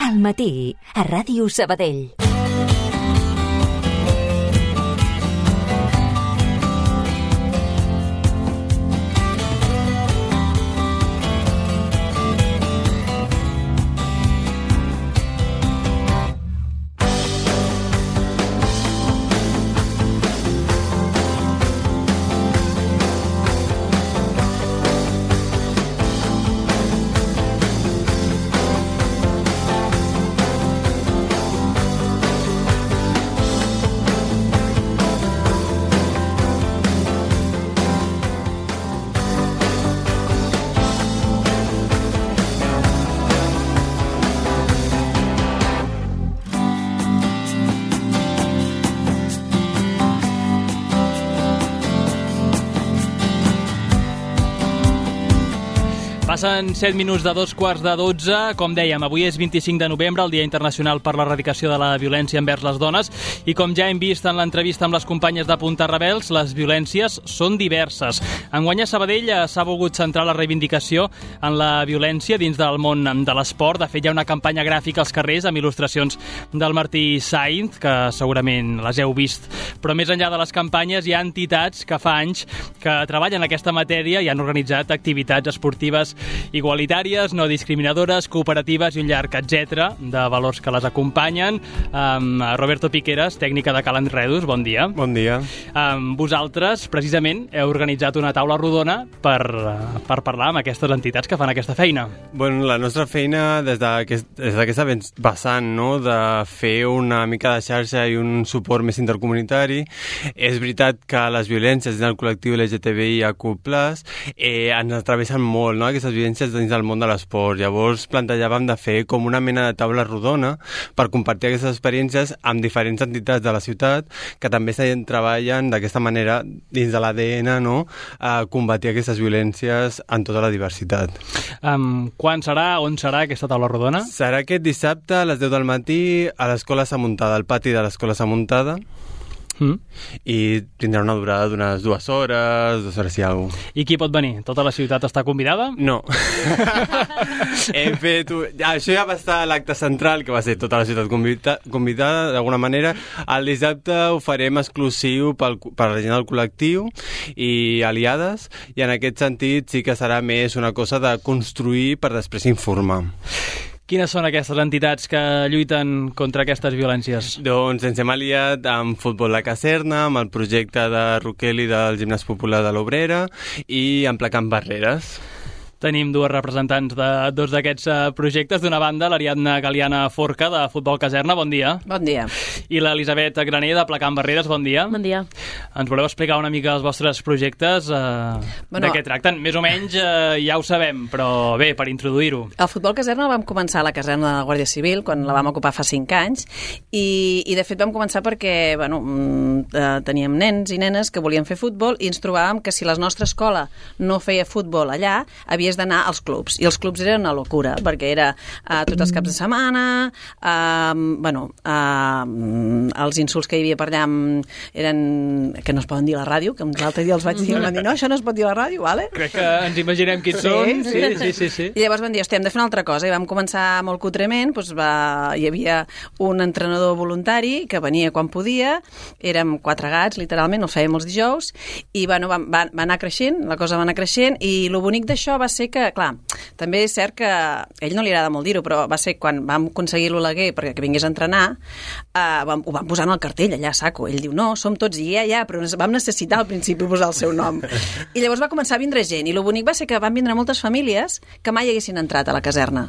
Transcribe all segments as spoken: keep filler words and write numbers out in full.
Al matí, a Ràdio Sabadell. Passen set minuts de dos quarts de dotze. Com dèiem, avui és vint-i-cinc de novembre, el Dia Internacional per l'Erradicació de la Violència envers les Dones, i com ja hem vist en l'entrevista amb les companyes de Punta Rebels, les violències són diverses. Enguany a Sabadell s'ha volgut centrar la reivindicació en la violència dins del món de l'esport. De fet, hi ha una campanya gràfica als carrers amb il·lustracions del Martí Sainz, que segurament les heu vist. Però més enllà de les campanyes, hi ha entitats que fa anys que treballen en aquesta matèria i han organitzat activitats esportives igualitàries, no discriminadores, cooperatives i un llarg etcètera de valors que les acompanyen. Um, Roberto Piqueras, tècnica de Cal Enredus, bon dia. Bon dia. Um, vosaltres, precisament, heu organitzat una taula rodona per, per parlar amb aquestes entitats que fan aquesta feina. Bueno, la nostra feina des d'aquesta vessant, no?, de fer una mica de xarxa i un suport més intercomunitari. És veritat que les violències dins del col·lectiu L G T B I A Q plus, eh, ens atravessen molt, no?, aquestes violències dins del món de l'esport. Llavors plantejàvem de fer com una mena de taula rodona per compartir aquestes experiències amb diferents entitats de la ciutat que també treballen d'aquesta manera dins de l'A D N, no?, a combatir aquestes violències en tota la diversitat. Um, quan serà, on serà aquesta taula rodona? Serà aquest dissabte a les deu del matí a l'Escola Samuntada, al pati de l'Escola Samuntada. Mm. I tindrà una durada d'unes dues hores, dues hores i alguna cosa. I qui pot venir? Tota la ciutat està convidada? No. Hem fet... Això ja va estar a l'acte central, que va ser tota la ciutat convida... convidada, d'alguna manera. El dissabte ho farem exclusiu pel... per la gent del col·lectiu i aliades, i en aquest sentit sí que serà més una cosa de construir per després informar. Quines són aquestes entitats que lluiten contra aquestes violències? Doncs ens hem aliat amb Futbol La Caserna, amb el projecte de Roqueli del Gimnàs Popular de l'Obrera i Emplacant Barreres. Tenim dues representants de dos d'aquests projectes. D'una banda, l'Ariadna Galiana Forca, de Futbol Caserna, bon dia. Bon dia. I l'Elisabet Graner, de Placant Barreres, bon dia. Bon dia. Ens voleu explicar una mica els vostres projectes? Eh, bueno, de què tracten? Més o menys eh, ja ho sabem, però bé, per introduir-ho. El Futbol Caserna el vam començar a la caserna de la Guàrdia Civil, quan la vam ocupar fa cinc anys, i, i de fet vam començar perquè bueno, eh, teníem nens i nenes que volien fer futbol i ens trobàvem que si la nostra escola no feia futbol allà, havia d'anar als clubs, i els clubs eren una locura, perquè era uh, tots els caps de setmana, uh, bueno, uh, els insults que hi havia per allà eren, que no es poden dir a la ràdio, que l'altre dia els vaig dir, van dir, no, això no es pot dir a la ràdio, vale? Crec que ens imaginem quins sí, són. Sí, sí, sí, sí, sí. I llavors van dir, hòstia, hem de fer una altra cosa, i vam començar molt cutrement, doncs va, hi havia un entrenador voluntari que venia quan podia, érem quatre gats, literalment, els fèiem els dijous, i bueno, va, va, va anar creixent, la cosa va anar creixent, i el bonic d'això va ser que, clar, també és cert que a ell no li agrada molt dir-ho, però va ser quan vam aconseguir l'Oleguer perquè que vingués a entrenar, eh, vam, ho vam posar en el cartell allà a saco. Ell diu, no, som tots, i ja, ja, però vam necessitar al principi posar el seu nom. I llavors va començar a vindre gent, i el bonic va ser que van vindre moltes famílies que mai haguessin entrat a la caserna.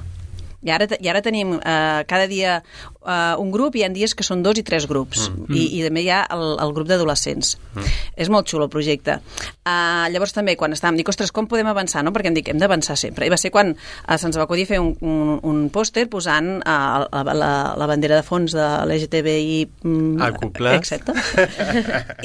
I ara, i ara tenim eh, cada dia eh, un grup, i hi ha dies que són dos i tres grups, mm. I, i també hi ha el, el grup d'adolescents. Mm. És molt xulo el projecte. Uh, llavors també quan estàvem, dic, ostres, com podem avançar? No? Perquè em dic, hem d'avançar sempre. I va ser quan uh, se'ns va acudir fer un, un, un pòster posant uh, la, la, la bandera de fons de l'L G T B I A+. Exacte.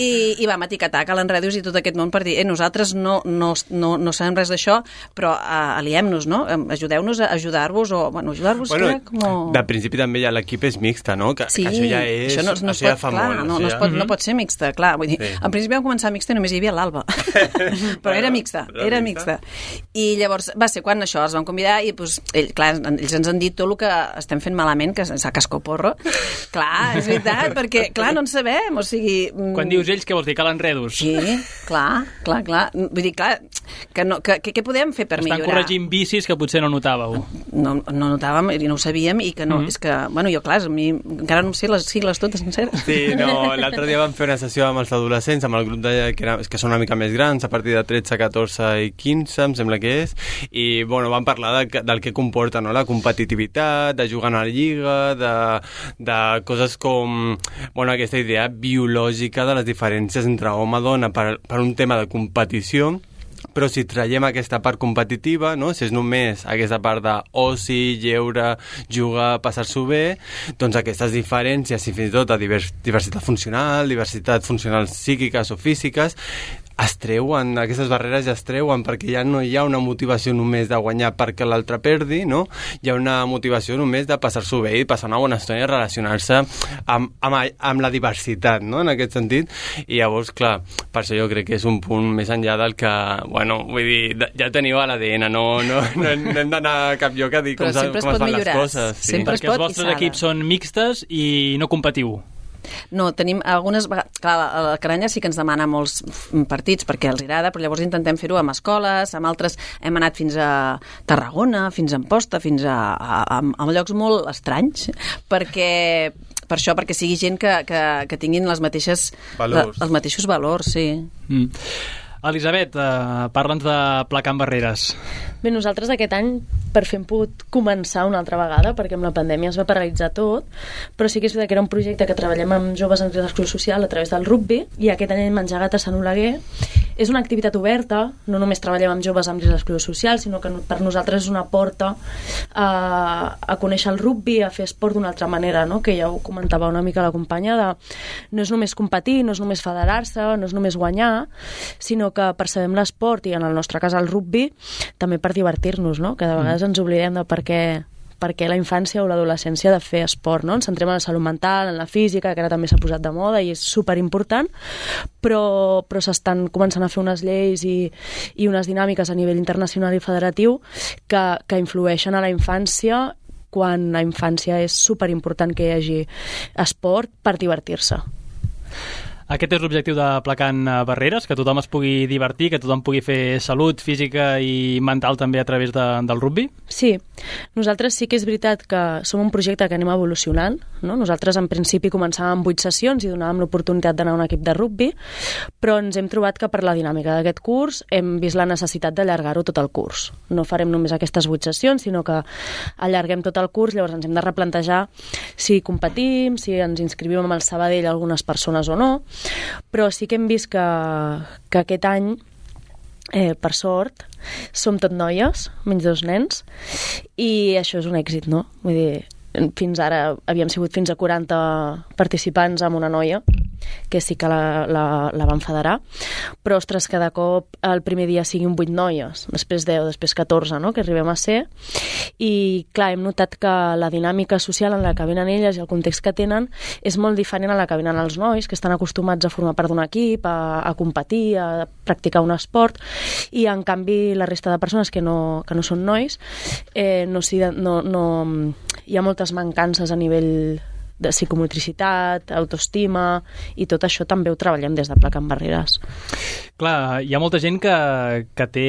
I, I vam etiquetar Cal Enredus i tot aquest món per dir, eh, nosaltres no, no, no, no sabem res d'això, però uh, aliem-nos, no? Ajudeu-nos a ajudar-vos, o bueno, bueno, ajudar-vos, bueno, crec, com... De principi també ja l'equip és mixta, no? Que, sí, que això ja és... això no, no això ja pot, fa clar, molt. No, no, es pot, no pot ser mixta, clar. Vull dir, sí. En principi vam començar mixta i només hi havia l'Alba. Però era mixta, era mixta. I llavors va ser quan això, els vam convidar i, doncs, ell, clar, ells ens han dit tot el que estem fent malament, que és a cascoporro. Clar, és veritat, perquè, clar, no en sabem, o sigui... Quan dius ells, què vols dir? Que l'enredos? Sí, clar, clar, clar. Vull dir, clar, que no, que, que, què podem fer per Estan millorar? Estan corregint vicis que potser no notàveu. No, no notàvem i no ho sabíem i que no, mm-hmm. és que, bueno, jo, clar, a mi encara no sé les sigles totes senceres. Sí, no, l'altre dia vam fer una sessió amb els adolescents, amb el grup de, que, era, que són una mica més grans, a partir de tretze, catorze i quinze, em sembla que és, i, bueno, vam parlar de, del que comporta, no?, la competitivitat, de jugar a la lliga, de, de coses com, bueno, aquesta idea biològica de les diferències entre home i dona per, per un tema de competició. Però si traiem aquesta part competitiva, no? Si és només aquesta part d'oci, lleure, jugar, passar-s'ho bé, doncs aquestes diferències, i fins i tot de divers, diversitat funcional, diversitat funcional psíquiques o físiques, es treuen, aquestes barreres ja es treuen, perquè ja no hi ha una motivació només de guanyar perquè l'altre perdi, no? Hi ha una motivació només de passar-s'ho bé i passar una bona estona i relacionar-se amb, amb, amb la diversitat, no?, en aquest sentit. I llavors, clar, per això jo crec que és un punt més enllà del que, bueno, vull dir, ja teniu a l'A D N, no, no, no, no hem d'anar a cap lloc a dir com, com es fan les coses. Sí. Perquè els vostres equips són mixtes i no competiu. No, tenim algunes vegades... Clar, la Caranya sí que ens demana molts partits perquè els agrada, però llavors intentem fer-ho amb escoles, amb altres... Hem anat fins a Tarragona, fins a Amposta, fins a, a, a, a llocs molt estranys, perquè... Per això, perquè sigui gent que, que, que tinguin les mateixes... Valors. La, els mateixos valors, sí. Mm. Elisabet, eh, parla'ns de Placant Barreres. Bé, nosaltres aquest any per fi hem pogut començar una altra vegada perquè amb la pandèmia es va paralitzar tot, però sí que és veritat que era un projecte que treballem amb joves en risc d'exclusió social a través del rugbi i aquest any hem engegat a Sant Oleguer. És una activitat oberta, no només treballem amb joves amb risc d'exclusió social, sinó que per nosaltres és una porta a, a conèixer el rugbi, a fer esport d'una altra manera, no? Que ja ho comentava una mica la companya, de, no és només competir, no és només federar-se, no és només guanyar, sinó que percebem l'esport, i en el nostre cas el rugbi, també per divertir-nos, no? Que de vegades ens oblidem de per què, per què la infància o l'adolescència ha de fer esport, no? Ens centrem en la salut mental, en la física, que ara també s'ha posat de moda i és superimportant, però, però s'estan començant a fer unes lleis i, i unes dinàmiques a nivell internacional i federatiu que, que influeixen a la infància, quan la infància és superimportant que hi hagi esport per divertir-se. Aquest és l'objectiu de Placant Barreres, que tothom es pugui divertir, que tothom pugui fer salut física i mental també a través de, del rugbi? Sí, nosaltres sí que és veritat que som un projecte que anem evolucionant, no? Nosaltres en principi començàvem amb vuit sessions i donàvem l'oportunitat d'anar a un equip de rugbi, però ens hem trobat que per la dinàmica d'aquest curs hem vist la necessitat d'allargar-ho tot el curs. No farem només aquestes vuit sessions, sinó que allarguem tot el curs, llavors ens hem de replantejar si competim, si ens inscrivim amb el Sabadell algunes persones o no, però sí que hem vist que, que aquest any, eh, per sort, som tot noies, menys dos nens, i això és un èxit, no? Vull dir, fins ara havíem sigut fins a quaranta participants amb una noia, que sí que la, la, la van federar, però, ostres, cada cop el primer dia siguin vuit noies, després deu, després catorze, no?, que arribem a ser, i clar, hem notat que la dinàmica social en la que venen elles i el context que tenen és molt diferent a la que venen els nois, que estan acostumats a formar part d'un equip, a, a competir, a practicar un esport, i en canvi la resta de persones que no, que no són nois, eh, no, no, no, hi ha moltes mancances a nivell de psicomotricitat, autoestima, i tot això també ho treballem des de Placant Barreres. Clar, hi ha molta gent que, que té,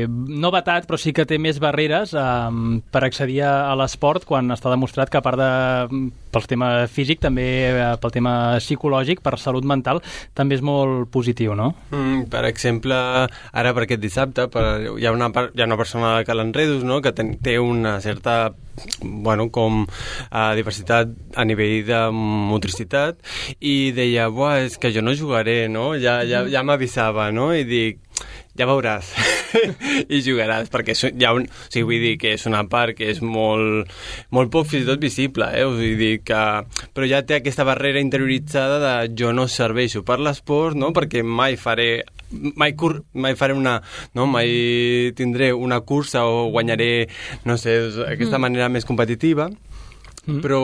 no vetat, però sí que té més barreres um, per accedir a l'esport, quan està demostrat que a part de pel tema físic, també pel tema psicològic, per salut mental, també és molt positiu, no? Mm, per exemple, ara per aquest dissabte, per, hi, ha una, hi ha una persona que l'enredos, no?, que ten, té una certa, bueno, com uh, diversitat a nivell de motricitat, i deia, buah, és que jo no jugaré, no? Ja, ja, ja m'avisava, no? I dic, ja veuràs i jugaràs, perquè hi ha un, o sigui, vull dir que és una part que és molt, molt poc fins i tot visible, eh? Vull dir que, però ja té aquesta barrera interioritzada de jo no serveixo per l'esport, no? Perquè mai faré mai, cur, mai faré una... No? Mai tindré una cursa o guanyaré, no sé, aquesta mm. manera més competitiva, mm. però,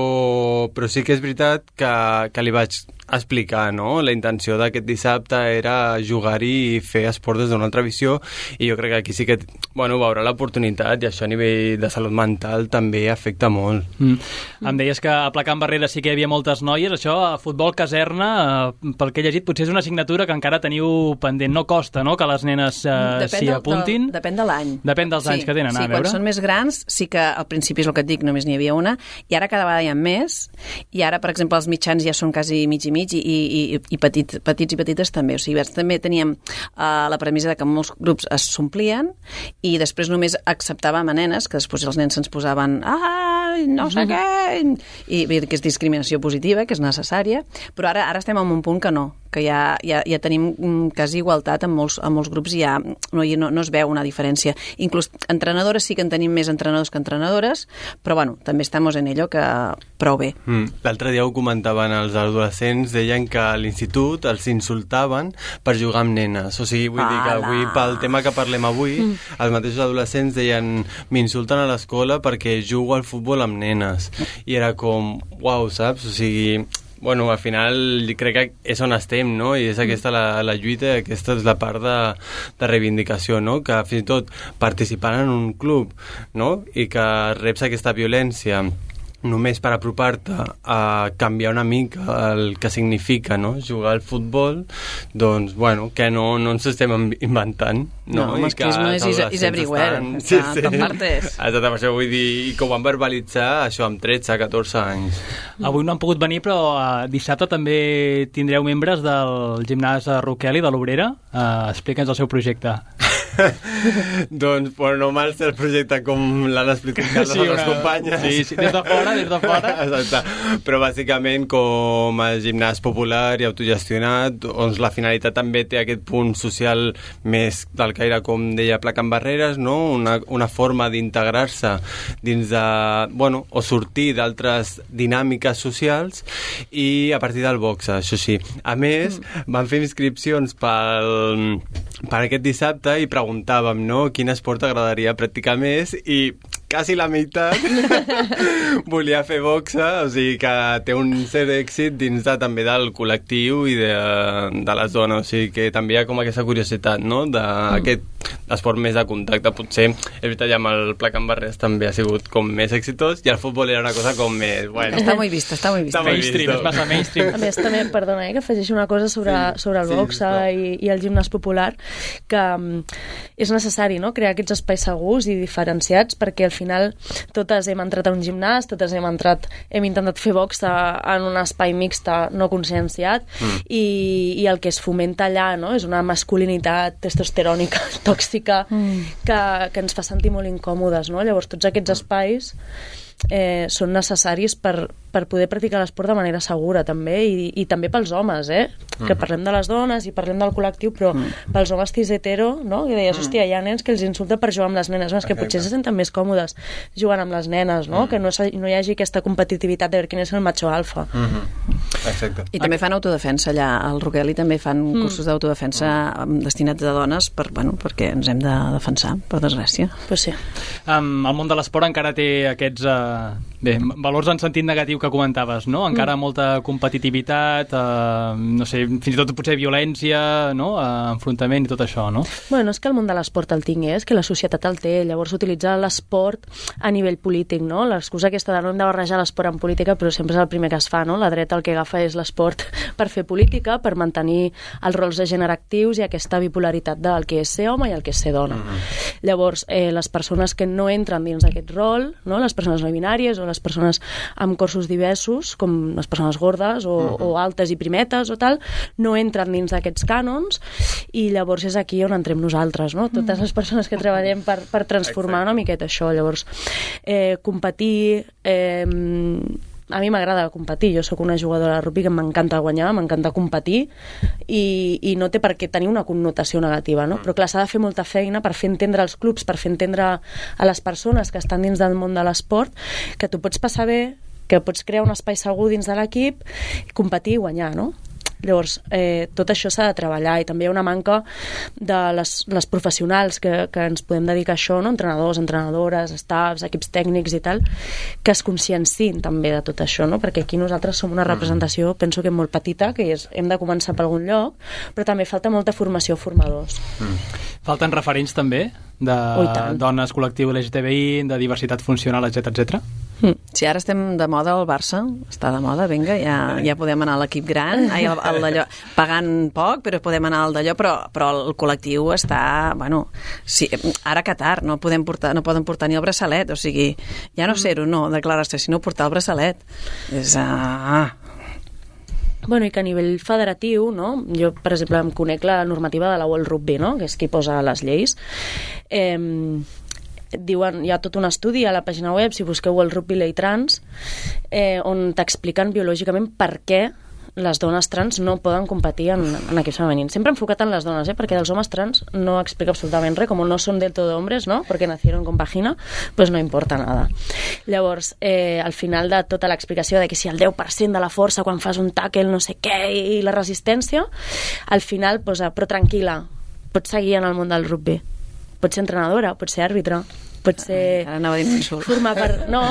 però sí que és veritat que, que li vaig explicar, no? La intenció d'aquest dissabte era jugar-hi i fer esport des d'una altra visió, i jo crec que aquí sí que, bueno, veurà l'oportunitat, i això a nivell de salut mental també afecta molt. Mm. Em deies que a Placant Barrera sí que hi havia moltes noies, això, a futbol caserna, eh, pel que he llegit, potser és una assignatura que encara teniu pendent. No costa, no?, que les nenes eh, s'hi apuntin? Del, depèn de l'any. Depèn dels sí, anys que tenen, sí, a veure. Quan són més grans, sí que al principi és el que et dic, només n'hi havia una, i ara cada vegada hi ha més, i ara, per exemple, els mitjans ja són quasi mig i mig, i, i, i petit, petits i petites també. O sigui, també teníem uh, la premissa de que molts grups es s'omplien, i després només acceptàvem a nenes, que després els nens se'ns posaven ah, no sé què, i, i que és discriminació positiva, que és necessària, però ara ara estem en un punt que no, que ja, ja, ja tenim quasi igualtat en molts, en molts grups, i ja no, no, no es veu una diferència. Inclús entrenadores sí que en tenim més entrenadors que entrenadores, però bueno, també estem en ello, que prou bé. Mm. L'altre dia ho comentaven els adolescents, deien que a l'institut els insultaven per jugar amb nenes. O sigui, vull Ala. dir que avui, pel tema que parlem avui, mm. els mateixos adolescents deien m'insulten a l'escola perquè jugo al futbol amb nenes. I era com, uau, saps? O sigui, bueno, al final crec que és on estem, no? I és aquesta la, la lluita, aquesta és la part de, de reivindicació, no? Que fins i tot participant en un club, no? I que reps aquesta violència només per apropar-te a canviar una mica el que significa, no?, jugar al futbol, doncs, bueno, que no, no ens estem inventant, no? No, el masclisme és, és everywhere, estan... sí, sí. Per partes. Exacte, per això vull dir, i que ho van verbalitzar, això, amb tretze, catorze anys. Avui no han pogut venir, però uh, dissabte també tindreu membres del gimnàs Roqueli de l'Obrera. Uh, Explica'ns el seu projecte. Doncs, bueno, no mal ser el projecte com l'han explicat les sí, altres una... companyes. Sí, sí, des de fora, des de fora. Exacte. Però bàsicament com a gimnàs popular i autogestionat, doncs la finalitat també té aquest punt social més del caire, com deia Placant Barreres, no? Una, una forma d'integrar-se dins de, bueno, o sortir d'altres dinàmiques socials, i a partir del boxe, això sí. A més, mm. van fer inscripcions pel, per aquest dissabte i preguntàvem, no?, quin esport t'agradaria practicar més, i quasi la meitat volia fer boxa, o sigui que té un cert èxit dins de, també del col·lectiu i de, de la zona, o sigui que també hi ha com aquesta curiositat, no?, d'aquest esport més de contacte. Potser, és veritat, ja amb el Placant Barreres també ha sigut com més exitós, i el futbol era una cosa com més... Bueno, està molt vista, està molt vista. Està mainstream, és massa mainstream. A més, també, perdona, eh, que afegeixo una cosa sobre, sí, sobre el sí, boxe i, i el gimnàs popular, que um, és necessari, no?, crear aquests espais segurs i diferenciats, perquè al final totes hem entrat a un gimnàs, totes hem entrat, hem intentat fer boxa en un espai mixta no conscienciat, mm. i, i el que es fomenta allà, no?, és una masculinitat testosterònica, tòxica, mm. que, que ens fa sentir molt incòmodes, no? Llavors tots aquests espais eh, són necessaris per, per poder practicar l'esport de manera segura també, i, i també pels homes, eh? Mm. Que parlem de les dones i parlem del col·lectiu, però mm. pels homes cis hetero, no? Que deies, hòstia, hi ha nens que els insulta per jugar amb les nenes, no? És que potser se senten més còmodes jugant amb les nenes, no? Mm. Que no, no hi hagi aquesta competitivitat de veure quin és el macho alfa. Mm-hmm. Exacte. I també fan autodefensa allà, al Roqueli també fan mm. cursos d'autodefensa destinats a dones, per, bueno, perquè ens hem de defensar, per desgràcia. Pues sí. Um, el món de l'esport encara té aquests uh, bé, valors en sentit negatiu que comentaves, no? Encara mm. molta competitivitat, uh, no sé, fins i tot potser violència, no? Uh, enfrontament i tot això, no? Bueno, és que el món de l'esport el tingui, és que la societat el té, llavors utilitzar l'esport a nivell polític, no? L'excusa aquesta de no hem de barrejar l'esport en política, però sempre és el primer que es fa, no? La dreta el que agafa és l'esport per fer política, per mantenir els rols de gènere actius i aquesta bipolaritat del que és ser home i el que és ser dona. Mm-hmm. Llavors, eh, les persones que no entren dins d'aquest rol, no? Les persones no binàries o les persones amb cossos diversos, com les persones gordes o, mm-hmm. o altes i primetes o tal, no entren dins d'aquests cànons, i llavors és aquí on entrem nosaltres, no? Totes mm. les persones que treballem per, per transformar una miqueta això. Llavors, eh, competir... Eh, a mi m'agrada competir, jo sóc una jugadora de rugby que m'encanta guanyar, m'encanta competir, i, i no té per què tenir una connotació negativa, no? Però clar, s'ha de fer molta feina per fer entendre els clubs, per fer entendre a les persones que estan dins del món de l'esport que tu pots passar bé, que pots crear un espai segur dins de l'equip, competir i guanyar, no? Llavors, eh, tot això s'ha de treballar i també hi ha una manca de les, les professionals que, que ens podem dedicar a això, no? Entrenadors, entrenadores, staffs, equips tècnics i tal, que es consciencin també de tot això, no? Perquè aquí nosaltres som una representació, penso que molt petita, que és, hem de començar per algun lloc, però també falta molta formació a formadors. Mm. Falten referents també de oh, dones, col·lectiu L G T B I, de diversitat funcional, etcètera, etcètera. Mm. Si ara estem de moda al Barça, està de moda, vinga, ja, ja podem anar a l'equip gran, ai, al, al d'allò, pagant poc, però podem anar al d'allò, però, però el col·lectiu està, bueno, sí, ara a Qatar no, podem portar, no poden portar ni el braçalet, o sigui, ja no ser-ho, no, declarar-se, sinó portar el braçalet. És... Ah... Bueno, i que a nivell federatiu, no? Jo, per exemple, em conec la normativa de la World Rugby, no? Que és qui posa les lleis. Eh, diuen, hi ha tot un estudi a la pàgina web, si busqueu World Rugby Ley Trans, eh, on t'expliquen biològicament per què les dones trans no poden competir en, en equips femenins. Sempre enfocat en les dones, eh? Perquè dels homes trans no explica absolutament res, com no són del todo hombres, ¿no? Perquè nacieron con vagina, pues no importa nada. Llavors, eh, al final de tota l'explicació de que si el deu per cent de la força quan fas un tackle, no sé què, i la resistència, al final posa, però tranquil·la, pots seguir en el món del rugby. Pots ser entrenadora, pots ser àrbitre, pot ser... Ara anava a dir un insult. Formar per... No,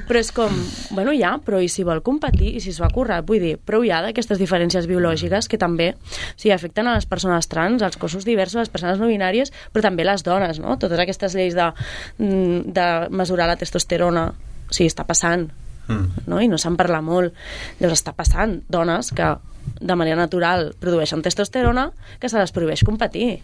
però és com... Bueno, ja, però i si vol competir, i si s'ho ha currat, vull dir, prou ja d'aquestes diferències biològiques que també o sigui, afecten a les persones trans, als cossos diversos, les persones no binàries, però també les dones, no? Totes aquestes lleis de, de mesurar la testosterona, o sigui, està passant, mm. no? I no se'n parla molt. Llavors està passant dones que de manera natural produeixen testosterona que se les prohibeix competir.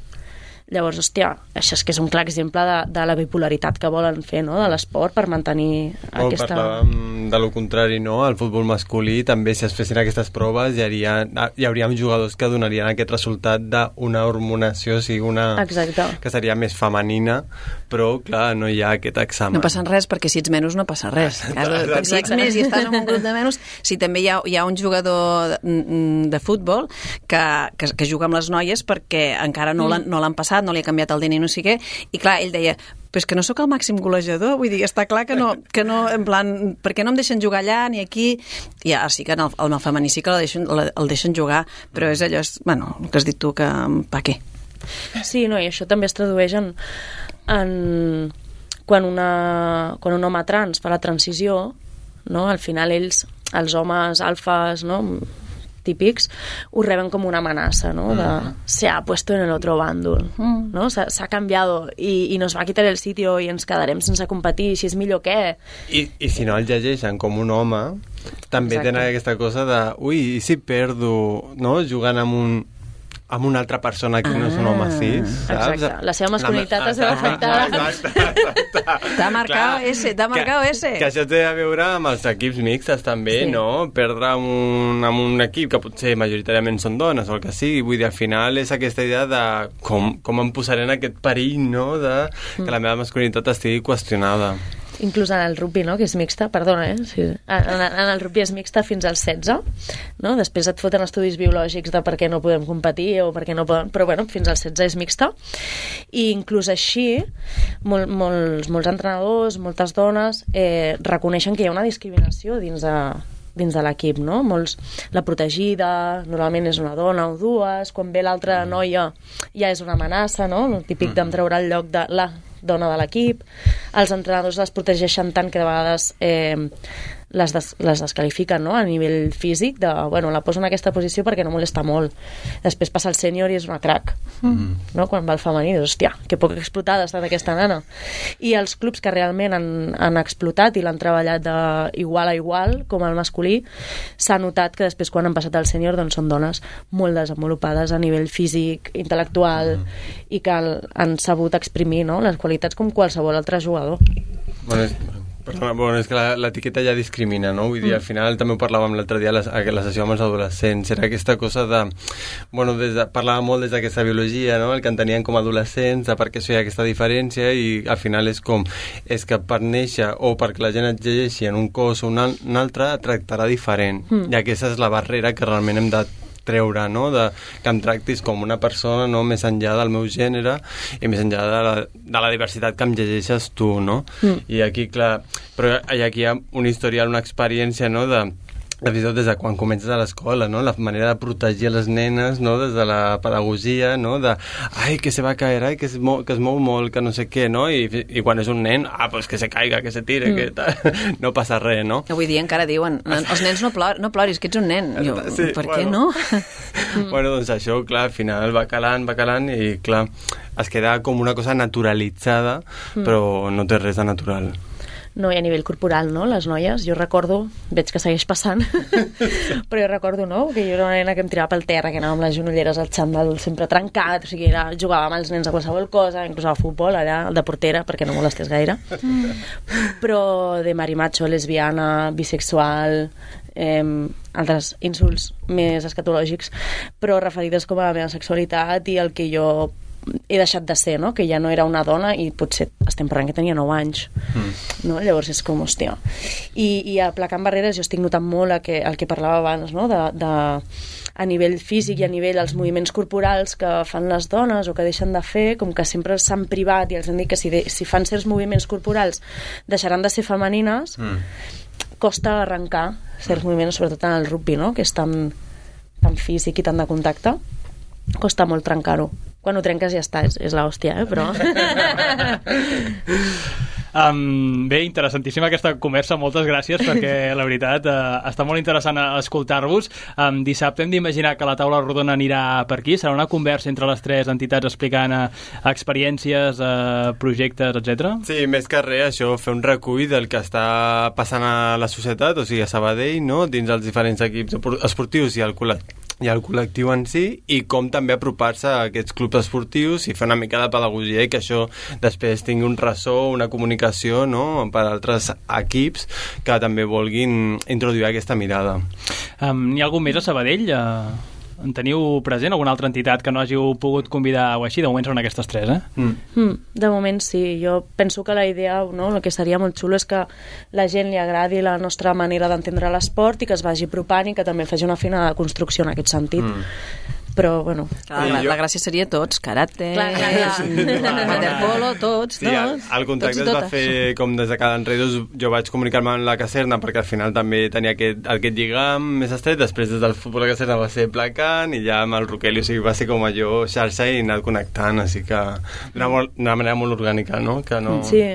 Llavors, hòstia, això és que és un clar exemple de, de la bipolaritat que volen fer, no?, de l'esport per mantenir Molt aquesta... Parlàvem de lo contrari, no? Al futbol masculí també, si es fessin aquestes proves, hi, hauria, hi hauria jugadors que donarien aquest resultat d'una hormonació, o sigui, una... Exacte. Que seria més femenina, però, clar, no hi ha aquest examen. No passa res, perquè si ets menys no passa res. Exacte. Si ets més i estàs en un grup de menys, si també hi ha, hi ha un jugador de, de futbol que, que, que juga amb les noies perquè encara no l'han no l'han passat, no li ha canviat el D N I, no sé què, i clar, ell deia, però és que no sóc el màxim golejador, vull dir, està clar que no, que no en plan, per què no em deixen jugar allà ni aquí? Ja, sí que en el, el femení sí que el deixen, el deixen jugar, però és allò, és, bueno, el que has dit tu, que pa què? Sí, no, i això també es tradueix en, en quan, una, quan un home trans fa la transició, no? Al final ells, els homes alfas, no?, típics, ho reben com una amenaça, no? De, se ha puesto en el otro bàndol, no? S'ha canviat i, i nos va quitar el sitio i ens quedarem sense competir, si és millor què? I, i si no el llegeixen com un home, també Exacte. Tenen aquesta cosa de, ui, i si perdo, no?, jugant amb un amb una altra persona que ah, no és un home cis, saps? Exacte. La seva masculinitat es veu afectada. T'ha marcat ese, t'ha marcat ese. Que això té a veure amb els equips mixtes també, sí. No? Perdre amb un, amb un equip que potser majoritàriament són dones o el que sigui, vull dir, al final és aquesta idea de com, com em posaré en aquest perill, no?, de que la meva masculinitat estigui qüestionada. Inclús en el rugby, no?, que és mixta, perdona, eh? Sí. En, en el rugby és mixta fins als setze, no? Després et foten estudis biològics de per què no podem competir o per què no poden... Però, bueno, fins als setze és mixta. I inclús així, mol, molts, molts entrenadors, moltes dones, eh, reconeixen que hi ha una discriminació dins de, dins de l'equip, no? Molts, la protegida, normalment és una dona o dues, quan ve l'altra noia ja és una amenaça, no? El típic d'em treure el lloc de la dona de l'equip. Els entrenadors les protegeixen tant que de vegades eh, les, des, les descalifiquen, no?, a nivell físic de, bueno, la poso en aquesta posició perquè no molesta molt. Després passa el sènior i és una crac, mm. no?, quan va al femení, dius, hòstia, que poc explotada ha estat aquesta nana. I els clubs que realment han, han explotat i l'han treballat de igual a igual, com el masculí, s'ha notat que després quan han passat al sènior doncs són dones molt desenvolupades a nivell físic, intel·lectual, mm. i que han sabut exprimir, no?, les qualitats com qualsevol altre jugador. Bueno, és... Però, bueno, és que l'etiqueta ja discrimina, no? Vull dir, al final també ho parlàvem l'altre dia a la, a la sessió amb els adolescents, era aquesta cosa de... Bueno, des de, parlàvem molt des d'aquesta biologia, no?, el que entenien com a adolescents, de per què això hi ha aquesta diferència, i al final és com... És que per néixer o perquè la gent et llegeixi en un cos o un, al, un altre, et tractarà diferent. Mm. I aquesta és la barrera que realment hem de treure, no?, de, que em tractis com una persona, no?, més enllà del meu gènere i més enllà de la, de la diversitat que em llegeixes tu, no? Mm. I aquí, clar, però aquí hi ha un historial, una experiència, no?, de fins i tot des de quan comences a l'escola, no? La manera de protegir les nenes, no? Des de la pedagogia, no? De, ai, que se va a caer, ai, que es mou, que es mou molt, que no sé què, no? I, i quan és un nen, ah, pues que se caiga, que se tire, mm. que tal, no passa res, no? Avui dia encara diuen, els nens no, plor, no ploris, que ets un nen. Jo, sí, per bueno. què no? Bueno, doncs això, clar, al final va calant, va calant i, clar, es queda com una cosa naturalitzada, mm. però no té res de natural. No, i a nivell corporal, no? Les noies, jo recordo, veig que segueix passant, però jo recordo, no?, que jo era una nena que em tirava pel terra, que anava amb les genolleres al xandall sempre trencat, o sigui, era, jugava amb els nens a qualsevol cosa, inclús al futbol, allà, al de portera, perquè no molestés gaire. Mm. Però de marimacho, lesbiana, bisexual, eh, altres insults més escatològics, però referides com a la meva sexualitat i el que jo he deixat de ser, no? Que ja no era una dona i potser estem parlant que tenia nou anys, mm. no? Llavors és com, hòstia. I, i aplacant barreres jo estic notant molt el que, el que parlava abans, no? De, de, a nivell físic i a nivell dels moviments corporals que fan les dones o que deixen de fer, com que sempre s'han privat i els han dit que si, de, si fan certs moviments corporals deixaran de ser femenines, mm. costa arrencar certs mm. moviments, sobretot en el rugby, no? Que és tan, tan físic i tan de contacte, costa molt trencar-ho. Quan ho trenques ja està, és, és l'hòstia, eh? Però... um, bé, interessantíssima aquesta conversa, moltes gràcies, perquè la veritat uh, està molt interessant escoltar-vos. Um, dissabte hem d'imaginar que la taula rodona anirà per aquí, serà una conversa entre les tres entitats explicant uh, experiències, uh, projectes, etcètera. Sí, més que res, això, fer un recull del que està passant a la societat, o sigui, a Sabadell, no?, dins els diferents equips esportius i al col·lectiu i el col·lectiu en si, i com també apropar-se a aquests clubs esportius i fer una mica de pedagogia i que això després tingui un ressò, una comunicació, no?, per a altres equips que també vulguin introduir aquesta mirada. Um, N'hi ha algun més a Sabadell? Uh... En teniu present alguna altra entitat que no hàgiu pogut convidar o així? De moment són aquestes tres, eh? Mm. Mm, de moment sí. Jo penso que la idea, no, el que seria molt xulo és que la gent li agradi la nostra manera d'entendre l'esport i que es vagi apropant i que també faci una fina construcció en aquest sentit. Mm. Però, bueno... Clar, la, la gràcia seria tots, karate, waterpolo, tots, sí, no? El contracte es va fer com des de cada enredos, jo vaig comunicar-me amb la Caserna perquè al final també tenia aquest, aquest lligam més estret, després des del futbol de Caserna va ser placant i ja amb el Roqueli, o sigui, va ser com allò xarxa i anar connectant, així que d'una manera molt orgànica, no? Que no... Sí.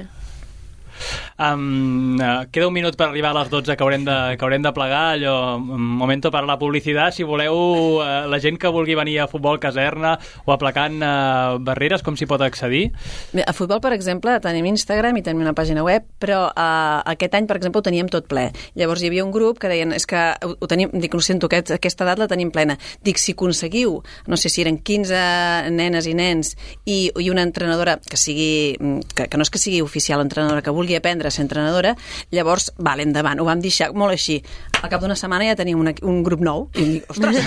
Um, uh, queda un minut per arribar a les dotze que haurem de, que haurem de plegar, allò, un momento per la publicitat, si voleu uh, la gent que vulgui venir a Futbol Caserna o a Placant uh, Barreres, com s'hi pot accedir? Bé, a Futbol, per exemple, tenim Instagram i tenim una pàgina web, però uh, aquest any, per exemple, ho teníem tot ple. Llavors hi havia un grup que deien, és que ho, ho tenim, dic, ho sento, aquest, aquesta edat la tenim plena. Dic, si aconseguiu, no sé si eren quinze nenes i nens i, i una entrenadora que sigui, que, que no és que sigui oficial entrenadora, que vulgui aprendre a ser entrenadora, llavors, vale, endavant, ho vam deixar molt així. Al cap d'una setmana ja tenim una, un grup nou i dic, ostres!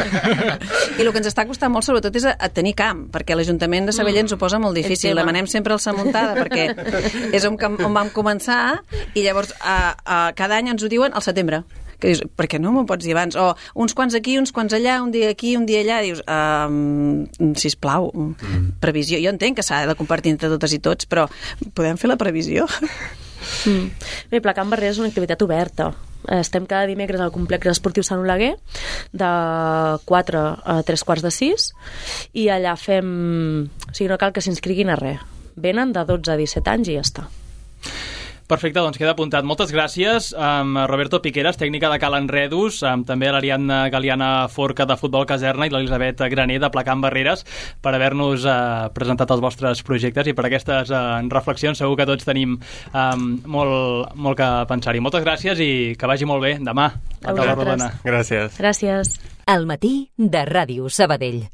I el que ens està costant molt, sobretot, és a, a tenir camp, perquè l'Ajuntament de Sabadell ens ho posa molt difícil. Demanem sempre el Samuntada, perquè és on, on vam començar, i llavors a, a, cada any ens ho diuen al setembre. Que dius, per què no m'ho pots dir abans? O uns quants aquí, uns quants allà, un dia aquí, un dia allà. Dius, um, sisplau, mm. previsió. Jo entenc que s'ha de compartir entre totes i tots, però podem fer la previsió? Mm. Bé, Placant Barreres és una activitat oberta. Estem cada dimecres al complex esportiu Sant Oleguer de quatre a tres quarts de sis i allà fem... O sigui, no cal que s'inscriguin a res. Venen de dotze a disset anys i ja està. Perfecte, doncs queda apuntat. Moltes gràcies um, a Roberto Piqueras, tècnica de Cal Enredus, um, també a l'Ariadna Galiana Forca de Futbol Caserna i l'Elisabet Graner de Placant Barreres per haver-nos uh, presentat els vostres projectes i per aquestes uh, reflexions. Segur que tots tenim um, molt, molt que pensar-hi. Moltes gràcies i que vagi molt bé demà. A vosaltres. Gràcies. Gràcies. Al matí de Ràdio Sabadell.